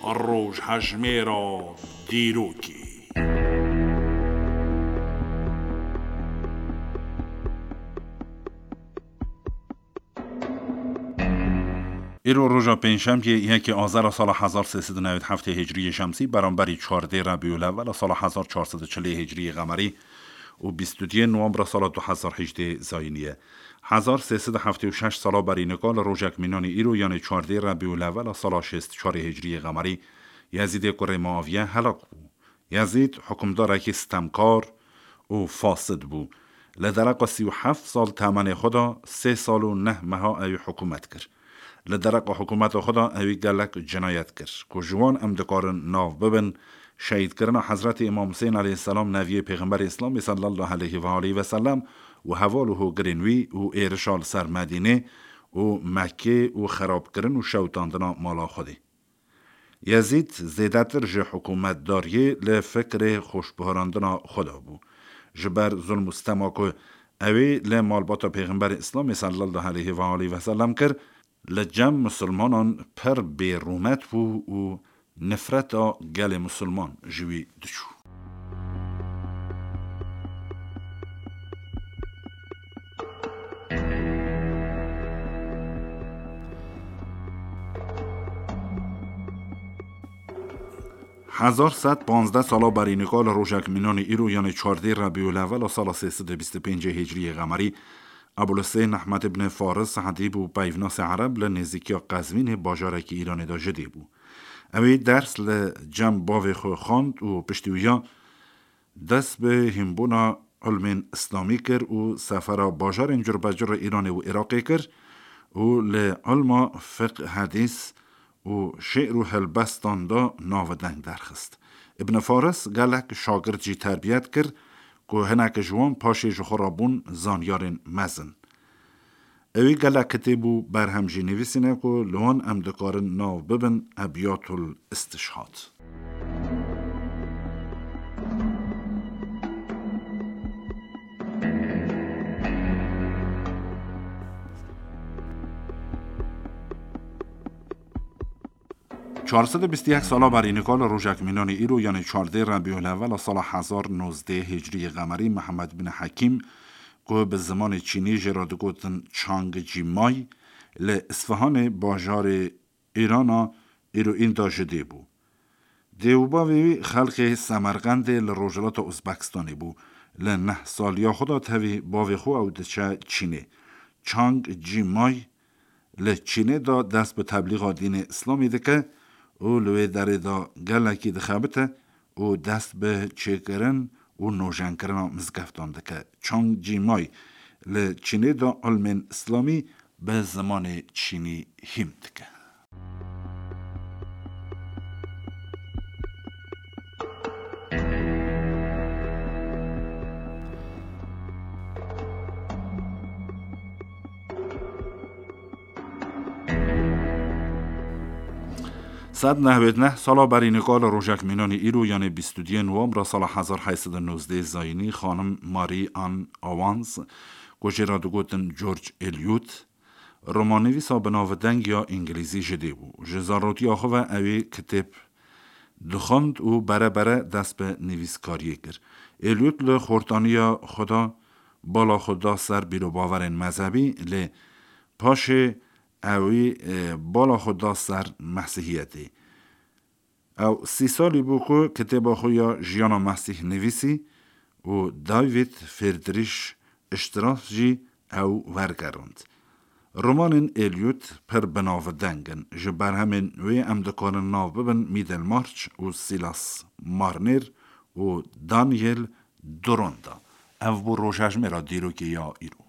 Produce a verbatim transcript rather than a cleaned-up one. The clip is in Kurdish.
Rojhejmêra dîrokê. Îro roja pêncşemiyê, yekê Azera sala hezar sê sed û newî heftê Hicriyê Şemsî, beramberî çardê Rebîulewwela sala hezar çar sed û çilê Hicriyê Qemerî û bîst û duyê Nowembra sala du hezar hejdê Zayînî ye. Hezar sê sed û heftê û şeş sala berî nika li rojek mînanî îro, yanê çardê Rebîulewwela sala şêst û çarê Hicriyê Qemerî, Yezîdê kurê Muaviye helak bû. Yezîd hukimdarekî sitemkar û fasid bû. Li dereqa sî û heft sal temenê xwe de, sê sal û neh meha ewî hikûmet kir. Li dereqa hikûmeta xwe de ewî gelek cinayet kir, ku ji wan em dikarin nav bibin, şehîdkirina Hezretî Îmam Husên aleyhisselam, neviyê Pêxemberê Îslamê sallallahu aleyhi ve aleyhi ve sellem û heval û hogirên wî û êrişa li ser Medînê û Mekkê û xerabkirin û şewitandina mala Xwedê. Yezîd zêdetir ji hikûmetdariyê li fikrê xweşbiharandina xwe de bû. Ji ber zulm û sitema ku ewê li malbata Pêxemberê Îslamê sallallahu aleyhi ve aleyhi ve sellem kir, li cem misilmanan pir bêrûmet bû û nifreta gelê misilman ji wî diçû. Hezar sed panzdeh sala berî nika li rojek mînanî îro, yanê çardê Rebîulewwela sala sê sed û bîst û pêncê Hicriyê Qemerî, Ebûlhusên Ehmed ibn Faris, edîb û peyvnasê ereb, li nêzîkiya Qezvînê, bajarekî Îranê de ji dê bû. Ewî ders li cem bavê xwe xwend û piştî wiya dest bi hînbûna ilmên îslamî kir û sefera bajarên curbecurê Îranê û Iraqê kir û li ilma fiqh, hedîs û şi'r û helbestan de navideng derxist. Ibn Faris gelek şagirt jî terbiyet kir ku hinek ji wan paşê ji xwe re bûn zanyarên mezin. Ewî gelek kitêb û berhem jî nivîsîne ku li wan em dikarin nav bibin Ebyatul Istişhad. Çar sed û bîst û yek sala berî nika li rojek mînanî îro, yanê çardê Rebîulewwela sala hezar nozdeh Hicriyê Qemerî, Mihemed bin Hekîm, ku bi zimanê çînî jê re digotin Chang Jimay, li Isfihanê, bajarê Îrana îroîn de ji dê bû. Dê û bavê wî xelkê Semerqendê li rojhilata Uzbekistanê bû. Li neh saliya xwe de tevî bavê xwe ew diçe Çînê. Chang Jimay li Çînê de dest bi teblîxa dînê Îslamê dike û li wê derê de gelekî dixebite û dest bi çêkirin û nojenkirina mizgeftan dike. Chang Jimay li Çînê de ilmên Îslamî bi zimanê çînî hîm dike. Sed nehwêd neh sala berî nika li rojek mînanî îro, yanê bîst û duyê Nowembra sala hezar heyt sed û nozdeh Zayînî, xanim Marie Anne Owens, ku jê re digotin George Eliot, romannivîsa binavdeng ya îngilîzî ji dê bû. Ji zarotiya xwe ve ewê kitêb dixwend û bere bere dest bi nivîskariyê kir. Eliot li xortaniya xwe de bala xwe da ser bîrobawerên mezhebî, lê paşê ewî, e, bala xwe da ser mesihiyetê. Ew sî salî bû ku kitêba xwe ya Jiyana Mesîh nivîsî û David Friedrich Strauss jî ew wergerand. Romanên Eliot pir binavdeng in. Ji berhemên wê em dikarin nav bibin Middlemarch û Silas Marner û Daniel Deronda. Ev bû rojhejmêra dîrokê ya îro.